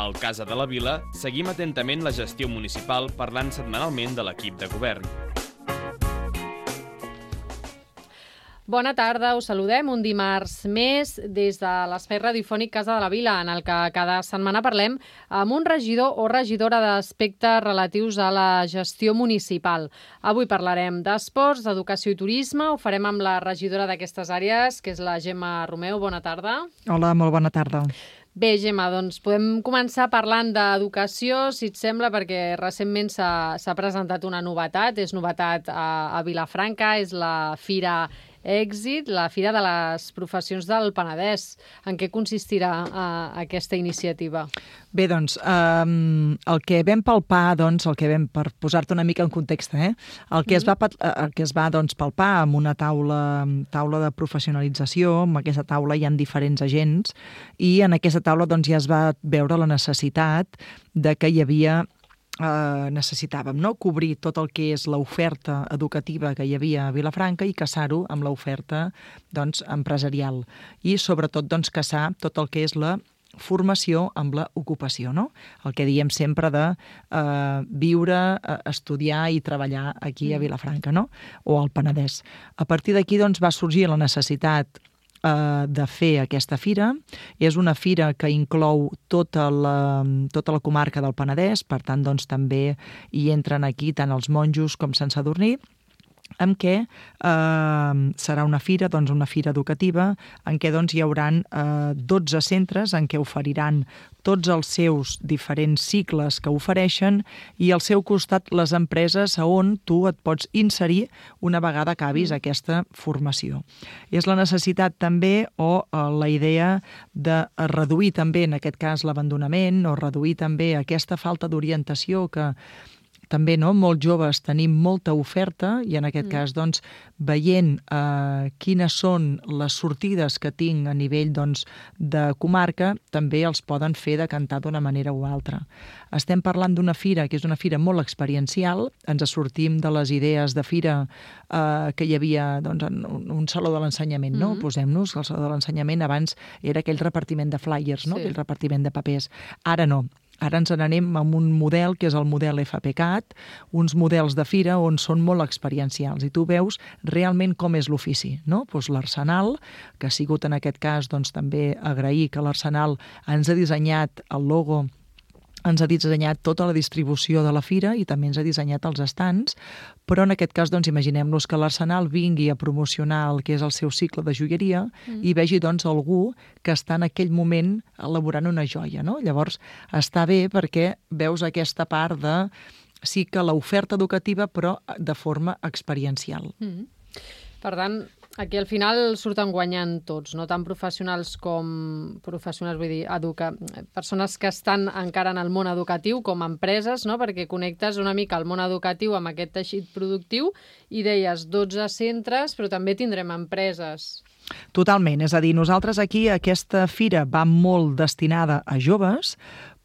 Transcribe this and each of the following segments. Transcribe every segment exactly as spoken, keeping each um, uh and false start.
Al Casa de la Vila seguim atentament la gestió municipal parlant setmanalment de l'equip de govern. Bona tarda, us saludem un dimarts més des de l'espai radiofònic Casa de la Vila, en el que cada setmana parlem amb un regidor o regidora d'aspectes relatius a la gestió municipal. Avui parlarem d'esports, d'educació i turisme, ho farem amb la regidora d'aquestes àrees, que és la Gemma Romeu. Bona tarda. Hola, molt bona tarda. Bé, Gemma, doncs podem començar parlant d'educació, si et sembla, perquè recentment s'ha presentat una novetat, és novetat a, a Vilafranca, és la Fira Èxit, la Fira de les Professions del Penedès. En què consistirà uh, aquesta iniciativa? Bé, doncs, um, el que vam palpar, doncs, el que vam, per posar-te una mica en context, eh? el que es va, el que es va doncs, palpar amb una taula, taula de professionalització, amb aquesta taula hi ha diferents agents, i en aquesta taula doncs, ja es va veure la necessitat de que hi havia Uh, necessitàvem no? cobrir tot el que és l'oferta educativa que hi havia a Vilafranca i casar-ho amb l'oferta doncs, empresarial i sobretot doncs, casar tot el que és la formació amb l'ocupació, no? El que diem sempre de uh, viure, uh, estudiar i treballar aquí a Vilafranca, no? O al Penedès. A partir d'aquí doncs, va sorgir la necessitat de fer aquesta fira. És una fira que inclou tota la, tota la comarca del Penedès, per tant, doncs, també hi entren aquí tant els monjos com Sant Sadurní, en què eh, serà una fira, doncs una fira educativa, en què doncs, hi haurà eh, dotze centres en què oferiran tots els seus diferents cicles que ofereixen i al seu costat les empreses on tu et pots inserir una vegada acabis aquesta formació. És la necessitat també o eh, la idea de reduir també en aquest cas l'abandonament o reduir també aquesta falta d'orientació que també no, molts joves tenim molta oferta i en aquest mm. cas doncs, veient eh, quines són les sortides que tinc a nivell doncs, de comarca, també els poden fer decantar d'una manera o altra. Estem parlant d'una fira que és una fira molt experiencial, ens sortim de les idees de fira eh, que hi havia doncs, en un saló de l'ensenyament, no? Mm. Posem-nos que el saló de l'ensenyament abans era aquell repartiment de flyers, no? Sí. Aquell repartiment de papers. Ara no. Ara ens n'anem amb un model que és el model F P C A T, uns models de fira on són molt experiencials i tu veus realment com és l'ofici, no? Doncs l'Arsenal, que ha sigut en aquest cas doncs, també agrair que l'Arsenal ens ha dissenyat el logo, ens ha dissenyat tota la distribució de la fira i també ens ha dissenyat els estants, però en aquest cas doncs, imaginem-nos que l'Arsenal vingui a promocionar el que és el seu cicle de joieria mm. i vegi doncs, algú que està en aquell moment elaborant una joia. No? Llavors està bé perquè veus aquesta part de sí que l'oferta educativa però de forma experiencial. Mm. Per tant, aquí al final surten guanyant tots, no tant professionals com professionals, vull dir, educa... persones que estan encara en el món educatiu com empreses, no? Perquè connectes una mica el món educatiu amb aquest teixit productiu i deies dotze centres, però també tindrem empreses. Totalment, és a dir, nosaltres aquí aquesta fira va molt destinada a joves,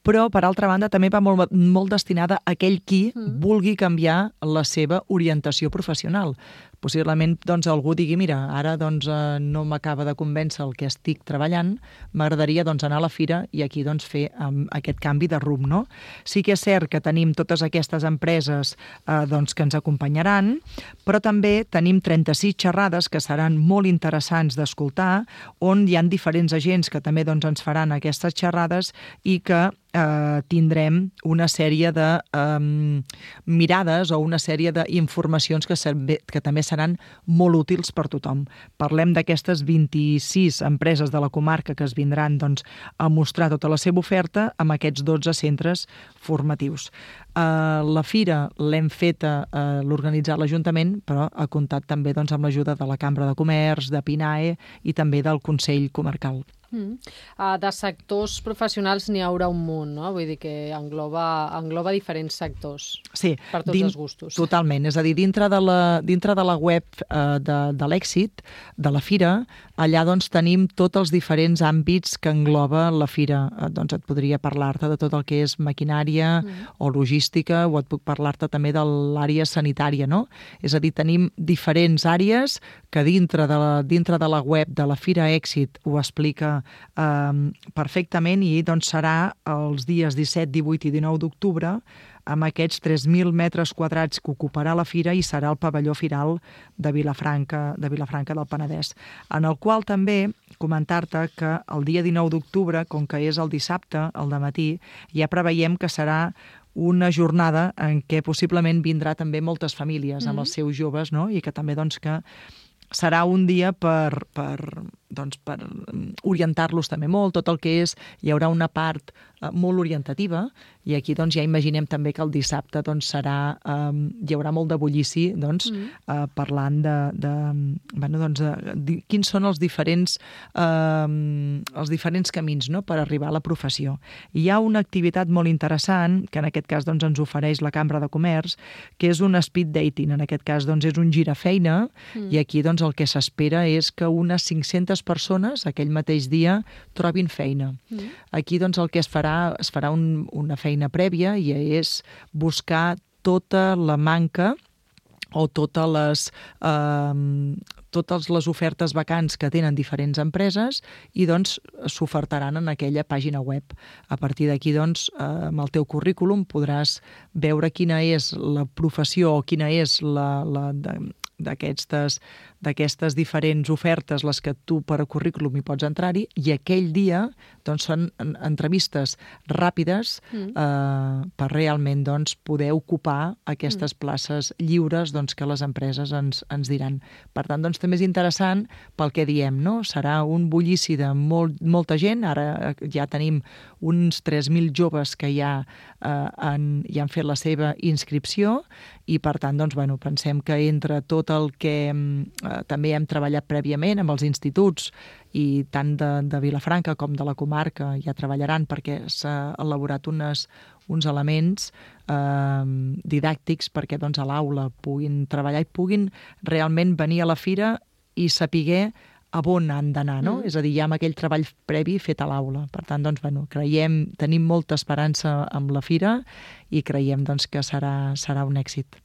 però, per altra banda, també va molt, molt destinada a aquell qui mm. vulgui canviar la seva orientació professional. Possiblement doncs, algú digui, mira, ara doncs, eh, no m'acaba de convèncer el que estic treballant, m'agradaria doncs, anar a la fira i aquí doncs, fer um, aquest canvi de rumb. No? Sí que és cert que tenim totes aquestes empreses eh, doncs, que ens acompanyaran, però també tenim trenta-sis xerrades que seran molt interessants d'escoltar, on hi ha diferents agents que també doncs, ens faran aquestes xerrades i que eh, tindrem una sèrie de eh, mirades o una sèrie d'informacions que, que també seran molt útils per tothom. Parlem d'aquestes vint-i-sis empreses de la comarca que es vindran doncs, a mostrar tota la seva oferta amb aquests dotze centres formatius. Uh, la fira l'hem feta, uh, l'organitzat l'Ajuntament, però ha comptat també doncs, amb l'ajuda de la Cambra de Comerç, de PINAE i també del Consell Comarcal. Mm. Uh, de sectors professionals n'hi haurà un munt, no? Vull dir que engloba, engloba diferents sectors sí, per tots din, els gustos. Totalment, és a dir, dintre de la, dintre de la web uh, de, de l'èxit, de la fira, allà doncs, tenim tots els diferents àmbits que engloba la fira. Eh, doncs et podria parlar-te de tot el que és maquinària mm. o logística, o et puc parlar-te també de l'àrea sanitària, no? És a dir, tenim diferents àrees que dintre de la, dintre de la web de la Fira Èxit ho explica eh, perfectament, i doncs serà els dies disset, divuit i dinou d'octubre, amb aquests tres mil metres quadrats que ocuparà la fira, i serà el pavelló firal de Vilafranca, de Vilafranca del Penedès, en el qual també comentar-te que el dia dinou d'octubre, com que és el dissabte, al dematí, ja preveiem que serà una jornada en què possiblement vindrà també moltes famílies amb els seus joves, no? I que també doncs, que serà un dia per, per, doncs, per orientar-los també molt, tot el que és, hi haurà una part eh, molt orientativa, i aquí doncs, ja imaginem també que el dissabte doncs, serà, eh, hi haurà molt de bullici doncs, mm. eh, parlant de, de, bueno, doncs, de, de quins són els diferents, eh, els diferents camins, no?, per arribar a la professió. I hi ha una activitat molt interessant, que en aquest cas doncs, ens ofereix la Cambra de Comerç, que és un speed dating. En aquest cas doncs, és un girafeina, mm. i aquí doncs, el que s'espera és que unes cinc-centes persones aquell mateix dia trobin feina. Mm. Aquí doncs, el que es farà, es farà un, una feina prèvia, i és buscar tota la manca o totes les, eh, totes les ofertes vacants que tenen diferents empreses, i doncs s'ofertaran en aquella pàgina web. A partir d'aquí, doncs, eh, amb el teu currículum podràs veure quina és la professió o quina és la, la de, d'aquestes d'aquestes diferents ofertes les que tu per a currículum hi pots entrar-hi, i aquell dia doncs, són entrevistes ràpides mm. eh, per realment doncs, poder ocupar aquestes mm. places lliures doncs, que les empreses ens, ens diran. Per tant, doncs, també és interessant pel que diem, no? Serà un bullici de molt, molta gent. Ara ja tenim uns tres mil joves que ja, eh, han, ja han fet la seva inscripció, i per tant doncs, bueno, pensem que entre tot el que eh, també hem treballat prèviament amb els instituts, i tant de, de Vilafranca com de la comarca ja treballaran, perquè s'ha elaborat unes, uns elements eh, didàctics perquè doncs, a l'aula puguin treballar i puguin realment venir a la fira i saber a on han d'anar, no? Mm. És a dir, ja amb aquell treball previ fet a l'aula. Per tant, doncs, bueno, creiem, tenim molta esperança amb la fira, i creiem doncs, que serà, serà un èxit.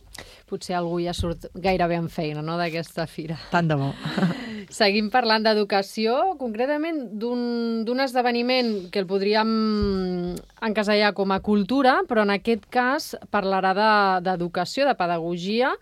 Potser algú ja surt gairebé en feina, no?, d'aquesta fira. Tant de bo. Seguim parlant d'educació, concretament d'un esdeveniment que el podríem encasellar com a cultura, però en aquest cas parlarà d'educació, de, de pedagogia.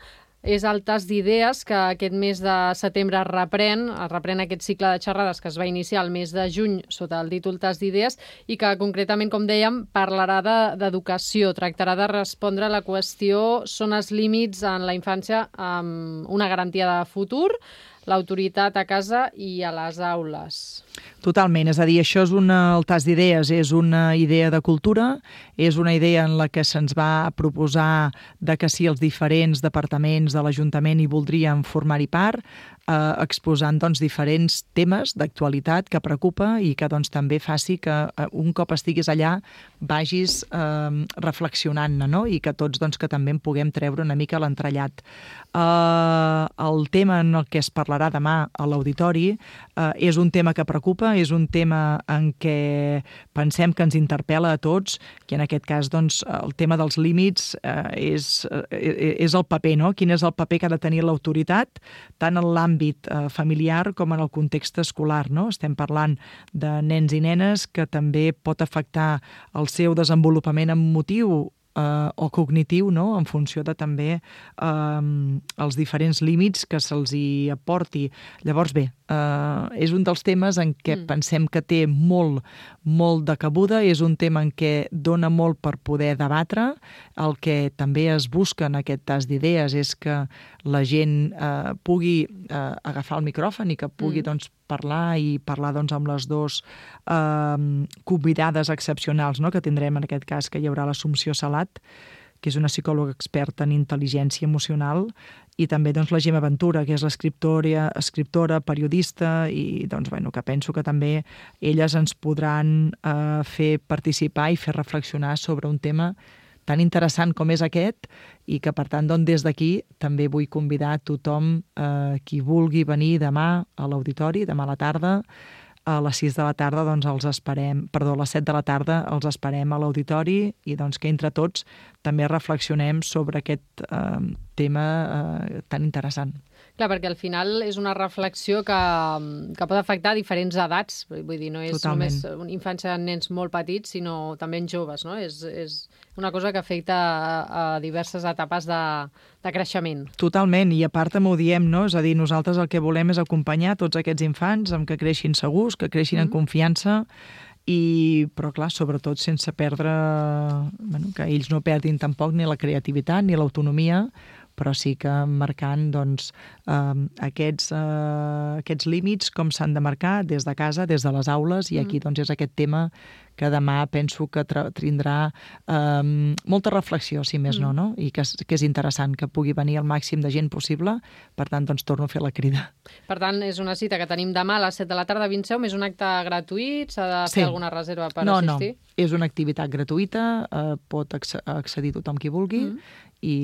És el tas d'idees que aquest mes de setembre es reprèn, es reprèn aquest cicle de xerrades que es va iniciar el mes de juny sota el títol Tas d'idees, i que concretament, com dèiem, parlarà d'educació, de, tractarà de respondre a la qüestió: són els límits en la infància amb una garantia de futur, l'autoritat a casa i a les aules. Totalment, és a dir, això és una, el tas d'idees és una idea de cultura, és una idea en la que se'ns va proposar de que si els diferents departaments de l'Ajuntament hi voldrien formar-hi part, eh, exposant doncs, diferents temes d'actualitat que preocupa i que doncs, també faci que eh, un cop estiguis allà vagis eh, reflexionant-ne, no? I que tots doncs, que també en puguem treure una mica l'entrellat. Eh, el tema en el que es parlarà demà a l'auditori eh, és un tema que preocupa, és un tema en què pensem que ens interpel·la a tots, i en aquest cas doncs, el tema dels límits eh, és, eh, és el paper, no? Quin és el paper que ha de tenir l'autoritat, tant en l'àmbit eh, familiar com en el context escolar, no? Estem parlant de nens i nenes que també pot afectar el seu desenvolupament emotiu eh, o cognitiu, no? En funció de també eh, els diferents límits que se'ls hi aporti. Llavors, bé, Uh, és un dels temes en què mm. pensem que té molt, molt de cabuda, és un tema en què dona molt per poder debatre. El que també es busca en aquest tas d'idees és que la gent uh, pugui uh, agafar el micròfon i que pugui mm. doncs, parlar i parlar doncs, amb les dues uh, convidades excepcionals, no? Que tindrem en aquest cas, que hi haurà l'Assumpció Salat, que és una psicòloga experta en intel·ligència emocional, i també doncs, la Gemma Ventura, que és l'escriptora, escriptora, periodista, i doncs, bueno, que penso que també elles ens podran eh, fer participar i fer reflexionar sobre un tema tan interessant com és aquest i que, per tant, doncs, des d'aquí també vull convidar tothom eh, qui vulgui venir demà a l'auditori, demà a la tarda, a les sis de la tarda doncs els esperem, perdó, a les set de la tarda els esperem a l'auditori i doncs que entre tots també reflexionem sobre aquest eh, tema eh, tan interessant. Clar, perquè al final és una reflexió que, que pot afectar diferents edats, vull dir, no és Totalment. només una infància de nens molt petits, sinó també en joves, no? És, és una cosa que afecta a, a diverses etapes de, de creixement. Totalment, i a part també ho diem, no? És a dir, nosaltres el que volem és acompanyar tots aquests infants amb que creixin segurs, que creixin mm-hmm. en confiança, i, però clar, sobretot sense perdre, bueno, que ells no perdin tampoc ni la creativitat ni l'autonomia, però sí que marcant doncs, eh, aquests, eh, aquests límits, com s'han de marcar des de casa, des de les aules, i aquí doncs, és aquest tema que demà penso que tindrà eh, molta reflexió, si més no, no? I que, que és interessant que pugui venir el màxim de gent possible, per tant, doncs, torno a fer la crida. Per tant, és una cita que tenim demà a les set de la tarda a Vintseu, és un acte gratuït, s'ha de sí. fer alguna reserva per no, assistir? No, no, és una activitat gratuïta, eh, pot accedir tothom qui vulgui, mm. i,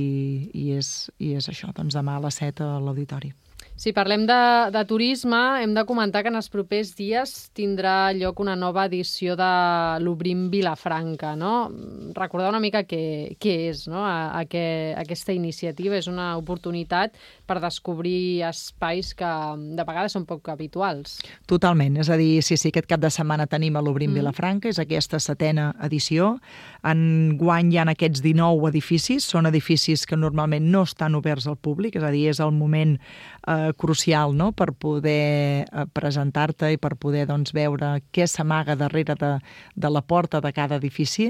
i, és, i és això, doncs demà a les set a l'auditori. Si parlem de, de turisme, hem de comentar que en els propers dies tindrà lloc una nova edició de l'Obrim Vilafranca, no? Recordar una mica què, què és, no? A, a què, aquesta iniciativa és una oportunitat per descobrir espais que de vegades són poc habituals. Totalment, és a dir, sí, sí, aquest cap de setmana tenim a l'Obrim mm. Vilafranca, és aquesta setena edició. Enguany hi ha aquests dinou edificis, són edificis que normalment no estan oberts al públic, és a dir, és el moment eh, crucial, no?, per poder eh, presentar-te i per poder doncs, veure què s'amaga darrere de, de la porta de cada edifici.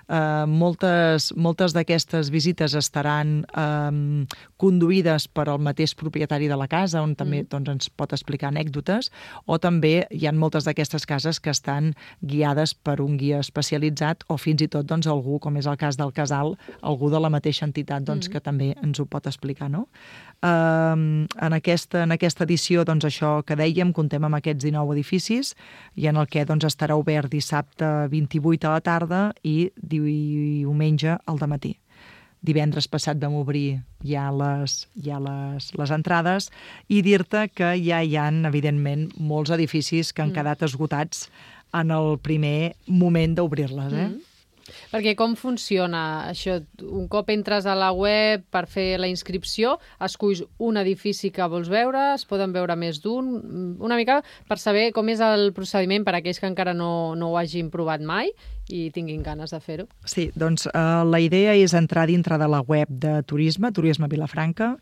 Eh, moltes moltes d'aquestes visites estaran eh, conduïdes per al mateix propietari de la casa, on també mm. doncs, ens pot explicar anècdotes, o també hi ha moltes d'aquestes cases que estan guiades per un guia especialitzat o fins i tot doncs, algú, com és el cas del Casal, algú de la mateixa entitat doncs, mm. que també ens ho pot explicar, no? Eh, en, aquesta, en aquesta edició, doncs, això que dèiem, comptem amb aquests dinou edificis i en el que doncs, estarà obert dissabte vint-i-vuit a la tarda i diumenge al dematí. Divendres passat vam obrir ja les, ja les, les entrades i dir-te que ja hi ha, evidentment, molts edificis que han mm. quedat esgotats en el primer moment d'obrir-les, eh? Mm. Perquè com funciona això? Un cop entres a la web per fer la inscripció, esculls un edifici que vols veure, es poden veure més d'un, una mica per saber com és el procediment per a aquells que encara no, no ho hagin provat mai i tinguin ganes de fer-ho. Sí, doncs eh, la idea és entrar dintre de la web de turisme, Turisme Vilafranca,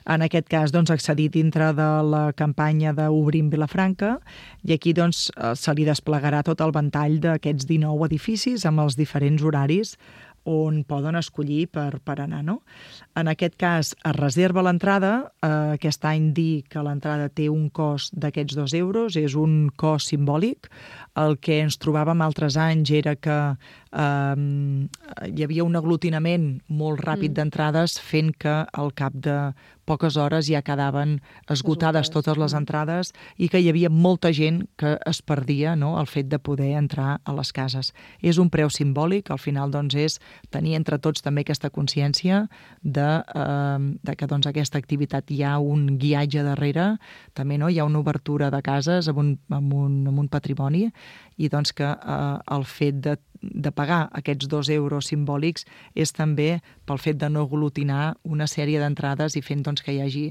en aquest cas doncs, accedir dintre de la campanya d'Obrim Vilafranca i aquí doncs, se li desplegarà tot el ventall d'aquests dinou edificis amb els diferents horaris on poden escollir per, per anar, no? En aquest cas, es reserva l'entrada. Eh, aquest any dir que l'entrada té un cost d'aquests dos euros, és un cost simbòlic. El que ens trobàvem altres anys era que eh, hi havia un aglutinament molt ràpid mm. d'entrades fent que al cap de poques hores ja quedaven esgotades totes les entrades i que hi havia molta gent que es perdia, no?, el fet de poder entrar a les cases. És un preu simbòlic, al final doncs, és tenir entre tots també aquesta consciència de, eh, de que doncs, aquesta activitat hi ha un guiatge darrere, també no? Hi ha una obertura de cases amb un, amb un, amb un patrimoni i doncs que eh, el fet de de pagar aquests dos euros simbòlics és també pel fet de no aglutinar una sèrie d'entrades i fent doncs, que hi hagi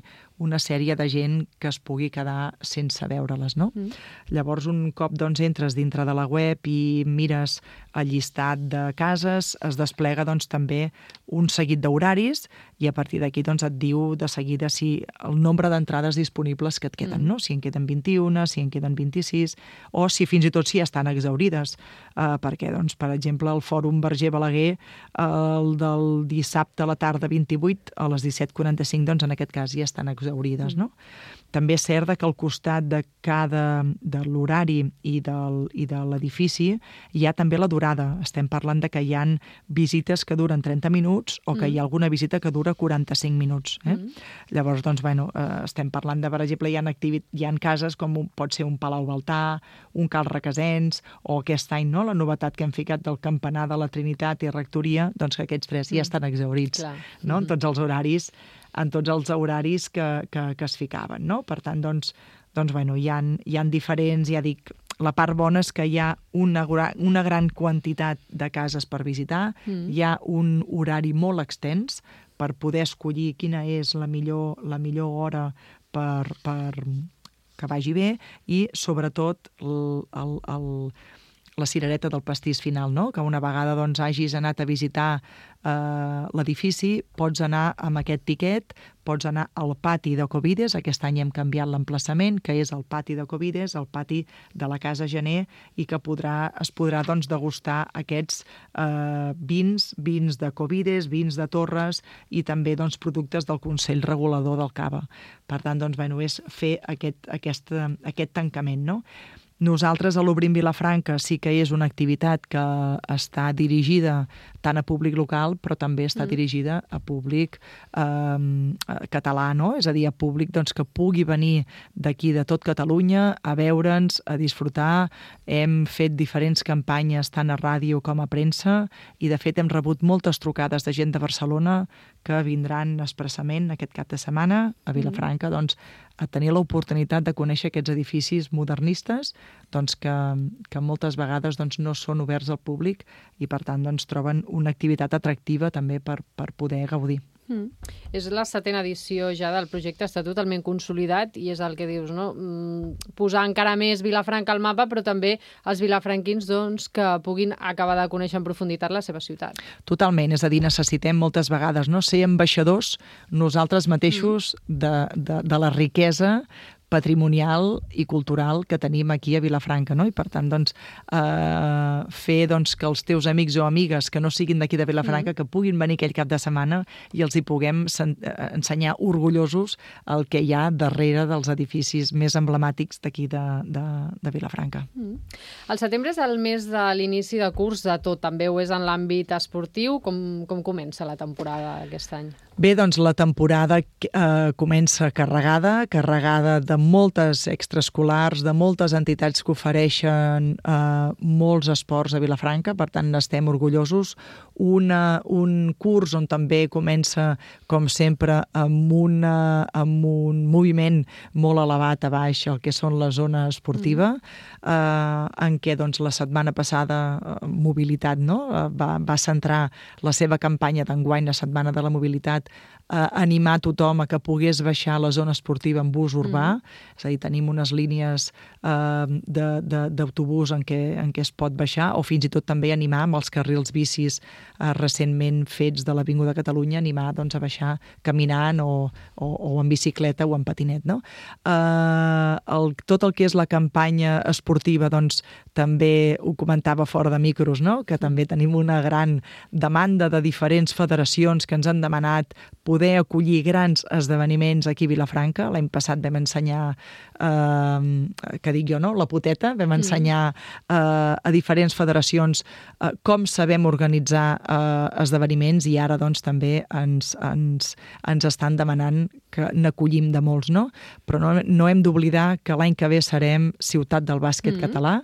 una sèrie de gent que es pugui quedar sense veure-les, no? Mm. Llavors, un cop doncs, entres dintre de la web i mires el llistat de cases, es desplega doncs, també un seguit d'horaris i a partir d'aquí doncs, et diu de seguida si el nombre d'entrades disponibles que et queden, mm. no? Si en queden vint-i-una, si en queden vint-i-sis, o si fins i tot si estan exaurides, eh, perquè, doncs, per exemple, el Fòrum Verger Balaguer, el del dissabte a la tarda vint-i-vuit, a les disset quaranta-cinc, doncs, en aquest cas ja estan exaurides. exaurides, no? També és cert que al costat de cada de l'horari i, del, i de l'edifici hi ha també la durada. Estem parlant de que hi ha visites que duren trenta minuts o que mm. hi ha alguna visita que dura quaranta-cinc minuts. Eh? Mm. Llavors, doncs, bueno, eh, estem parlant de, per exemple, hi ha, activit- hi ha cases com un, pot ser un Palau Baltà, un Cal Requesens, o aquest any, no?, la novetat que hem ficat del Campanar de la Trinitat i Rectoria, doncs que aquests tres mm. ja estan exaurits, no? Mm-hmm. En tots els horaris en tots els horaris que, que, que es ficaven, no? Per tant, doncs, doncs bueno, hi ha, hi ha diferents, ja dic, la part bona és que hi ha una, una gran quantitat de cases per visitar, mm. hi ha un horari molt extens per poder escollir quina és la millor, la millor hora per, per que vagi bé i, sobretot, el, el, el la cirereta del pastís final, no? Que una vegada doncs, hagis anat a visitar eh, l'edifici, pots anar amb aquest tiquet, pots anar al pati de Covides, aquest any hem canviat l'emplaçament, que és el pati de Covides, el pati de la Casa Gener, i que podrà, es podrà doncs, degustar aquests eh, vins, vins de Covides, vins de Torres i també doncs, productes del Consell Regulador del Cava. Per tant, doncs, bueno, és fer aquest, aquest, aquest tancament, no? Nosaltres a l'Obrim Vilafranca sí que és una activitat que està dirigida tant a públic local, però també està mm. dirigida a públic eh, català, no? És a dir, a públic doncs, que pugui venir d'aquí de tot Catalunya a veure'ns, a disfrutar. Hem fet diferents campanyes tant a ràdio com a premsa i, de fet, hem rebut moltes trucades de gent de Barcelona que vindran expressament aquest cap de setmana a Vilafranca mm. doncs, a tenir l'oportunitat de conèixer aquests edificis modernistes doncs, que, que moltes vegades doncs, no són oberts al públic i, per tant, doncs, troben una activitat atractiva també per, per poder gaudir. Mm. És la setena edició ja del projecte, està totalment consolidat i és el que dius, no? Mm, posar encara més Vilafranca al mapa, però també els vilafranquins doncs, que puguin acabar de conèixer en profunditat la seva ciutat. Totalment, és a dir, necessitem moltes vegades no ser ambaixadors nosaltres mateixos mm. de, de, de la riquesa patrimonial i cultural que tenim aquí a Vilafranca, no? I per tant, doncs, eh, fer doncs, que els teus amics o amigues que no siguin d'aquí de Vilafranca, mm. que puguin venir aquell cap de setmana i els hi puguem ensenyar orgullosos el que hi ha darrere dels edificis més emblemàtics d'aquí de, de, de Vilafranca. Mm. El setembre és el mes de l'inici de curs de tot, també ho és en l'àmbit esportiu. Com, com comença la temporada aquest any? Bé, doncs la temporada eh, comença carregada, carregada de moltes extraescolars, de moltes entitats que ofereixen eh, molts esports a Vilafranca, per tant n'estem orgullosos. Una, un curs on també comença, com sempre, amb, una, amb un moviment molt elevat a baix, el que són la zona esportiva, eh, en què doncs, la setmana passada eh, Mobilitat no? va, va centrar la seva campanya d'enguany, la Setmana de la Mobilitat, a animar tothom a que pogués baixar la zona esportiva en bus urbà, mm. és a dir, tenim unes línies eh, d'autobús en, què, en què es pot baixar, o fins i tot també animar amb els carrils bicis eh, recentment fets de l'Avinguda Catalunya, animar doncs, a baixar caminant o, o, o en bicicleta o en patinet. No? Eh, el, tot el que és la campanya esportiva, doncs, també ho comentava fora de micros, no? Que també tenim una gran demanda de diferents federacions que ens han demanat poder acollir grans esdeveniments aquí a Vilafranca. L'any passat vam ensenyar, eh, que dic jo, no? La poteta, vam ensenyar eh, a diferents federacions eh, com sabem organitzar eh, esdeveniments i ara doncs també ens, ens, ens estan demanant que n'acollim de molts, no? Però no, no hem d'oblidar que l'any que ve serem ciutat del bàsquet mm-hmm. català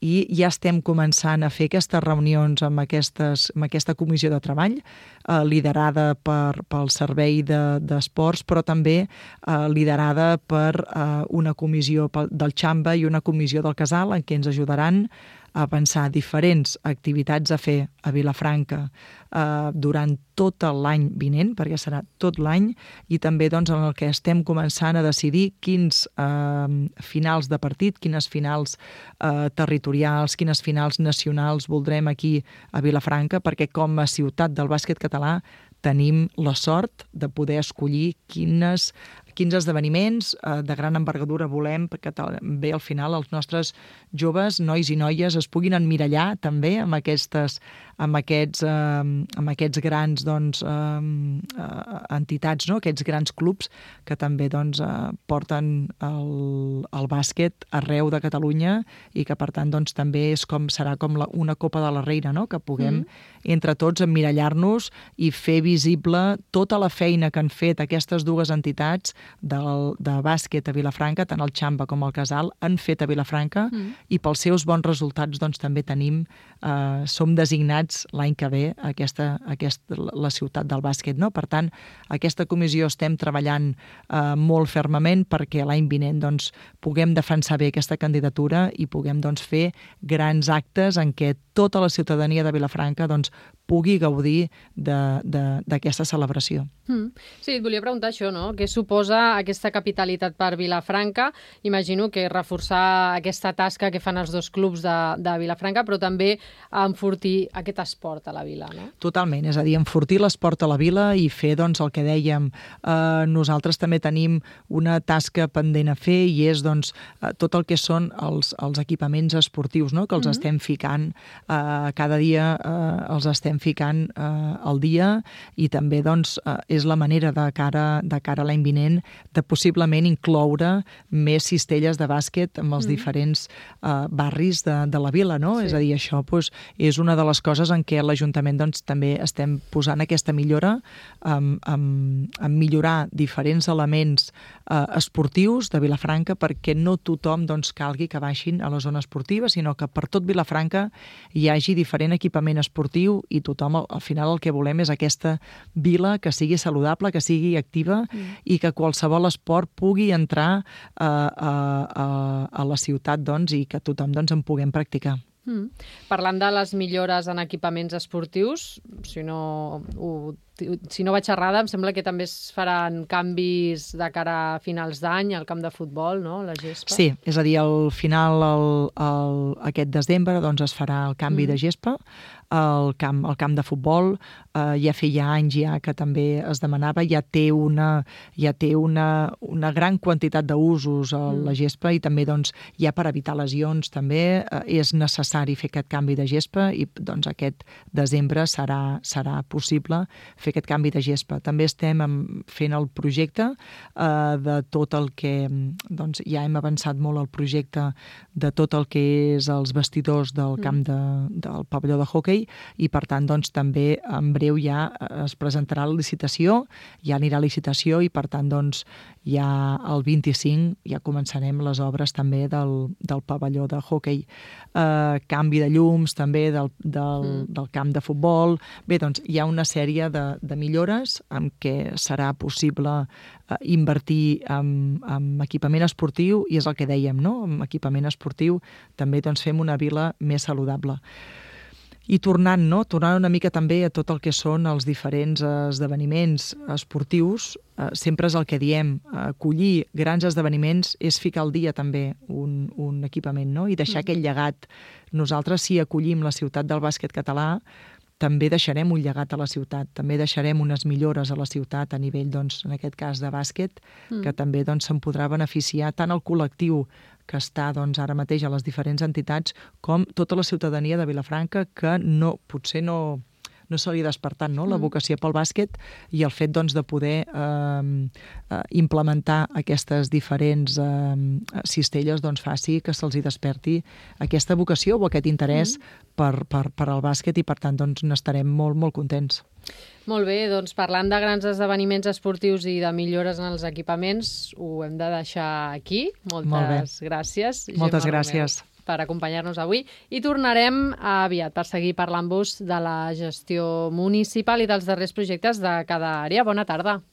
i ja estem començant a fer aquestes reunions amb, aquestes, amb aquesta comissió de treball eh, liderada per, pel Servei d'Esports, de, però també eh, liderada per eh, una comissió del Xamba i una comissió del Casal, en què ens ajudaran a pensar diferents activitats a fer a Vilafranca eh, durant tot l'any vinent, perquè serà tot l'any, i també doncs, en el que estem començant a decidir quins eh, finals de partit, quines finals eh, territorials, quines finals nacionals voldrem aquí a Vilafranca, perquè com a ciutat del bàsquet català tenim la sort de poder escollir quines, quinze esdeveniments eh, de gran envergadura volem que també al final els nostres joves, nois i noies, es puguin emmirallar també amb aquestes amb aquests, eh, amb aquests grans doncs, eh, entitats, no? Aquests grans clubs que també doncs, eh, porten el, el bàsquet arreu de Catalunya i que per tant doncs, també és com, serà com la, una copa de la reina, no? Que puguem mm. entre tots emmirallar-nos i fer visible tota la feina que han fet aquestes dues entitats del, de bàsquet a Vilafranca, tant el Xamba com el Casal, han fet a Vilafranca mm. i pels seus bons resultats doncs, també tenim, eh, som designats l'any que ve aquesta, aquesta, la ciutat del bàsquet. No? Per tant, aquesta comissió estem treballant eh, molt fermament perquè l'any vinent doncs, puguem defensar bé aquesta candidatura i puguem doncs, fer grans actes en què tota la ciutadania de Vilafranca doncs, pugui gaudir d'aquesta celebració. Mm. Sí, et volia preguntar això, no? Què suposa aquesta capitalitat per Vilafranca? Imagino que reforçar aquesta tasca que fan els dos clubs de, de Vilafranca, però també enfortir aquest esport a la vila, no? Totalment, és a dir, enfortir l'esport a la vila i fer doncs, el que dèiem. Eh, nosaltres també tenim una tasca pendent a fer i és doncs, tot el que són els, els equipaments esportius, no? Que els mm-hmm. estem ficant eh, cada dia, eh, els estem ficant eh, al dia i també doncs, eh, és la manera de cara, de cara a l'any vinent de possiblement incloure més cistelles de bàsquet amb els mm. diferents eh, barris de, de la vila, no? Sí. És a dir, això doncs, és una de les coses en què l'Ajuntament doncs, també estem posant aquesta millora amb, amb, amb millorar diferents elements eh, esportius de Vilafranca perquè no tothom doncs, calgui que baixin a la zona esportiva, sinó que per tot Vilafranca hi hagi diferent equipament esportiu i tothom, al final, el que volem és aquesta vila que sigui saludable, que sigui activa mm. i que qualsevol esport pugui entrar a, a, a, a la ciutat doncs, i que tothom doncs, en puguem practicar. Mm. Parlant de les millores en equipaments esportius, si no, ho, si no vaig errada, em sembla que també es faran canvis de cara a finals d'any al camp de futbol, no? La gespa. Sí, és a dir, al final, el, el, aquest desembre, doncs, es farà el canvi mm. de gespa al camp, al camp de futbol. Eh, ja feia anys ja que també es demanava, ja té una, ja té una, una gran quantitat d'usos a mm. la gespa i també doncs, ja per evitar lesions també eh, és necessari fer aquest canvi de gespa i doncs, aquest desembre serà, serà possible fer aquest canvi de gespa. També estem fent el projecte eh, de tot el que, doncs ja hem avançat molt el projecte de tot el que és els vestidors del camp de, del pavelló de hoquei i per tant doncs també en breu ja es presentarà la licitació, ja anirà a licitació i per tant doncs ja el vint-i-cinc ja començarem les obres també del, del pavelló de hoquei. Eh, canvi de llums també del, del, mm. del camp de futbol. Bé, doncs hi ha una sèrie de, de millores amb què serà possible eh, invertir en, en equipament esportiu i és el que dèiem, no? Amb equipament esportiu també doncs, fem una vila més saludable. I tornant, no? tornant una mica també a tot el que són els diferents esdeveniments esportius, eh, sempre és el que diem, acollir grans esdeveniments és ficar al dia també un, un equipament, no? I deixar mm. aquest llegat. Nosaltres, si acollim la ciutat del bàsquet català, també deixarem un llegat a la ciutat, també deixarem unes millores a la ciutat a nivell, doncs, en aquest cas, de bàsquet, mm. que també doncs, se'n podrà beneficiar tant el col·lectiu que està doncs, ara mateix a les diferents entitats com tota la ciutadania de Vilafranca que no, potser no, no se li ha despertat no? la vocació pel bàsquet i el fet doncs, de poder eh, implementar aquestes diferents eh, cistelles doncs, faci que se'ls hi desperti aquesta vocació o aquest interès mm. per, per, per al bàsquet i per tant doncs, n'estarem molt, molt contents. Molt bé, doncs parlant de grans esdeveniments esportius i de millores en els equipaments, ho hem de deixar aquí. Moltes gràcies. Moltes Gemma gràcies. Romeu, per acompanyar-nos avui i tornarem aviat per seguir parlant-vos de la gestió municipal i dels darrers projectes de cada àrea. Bona tarda.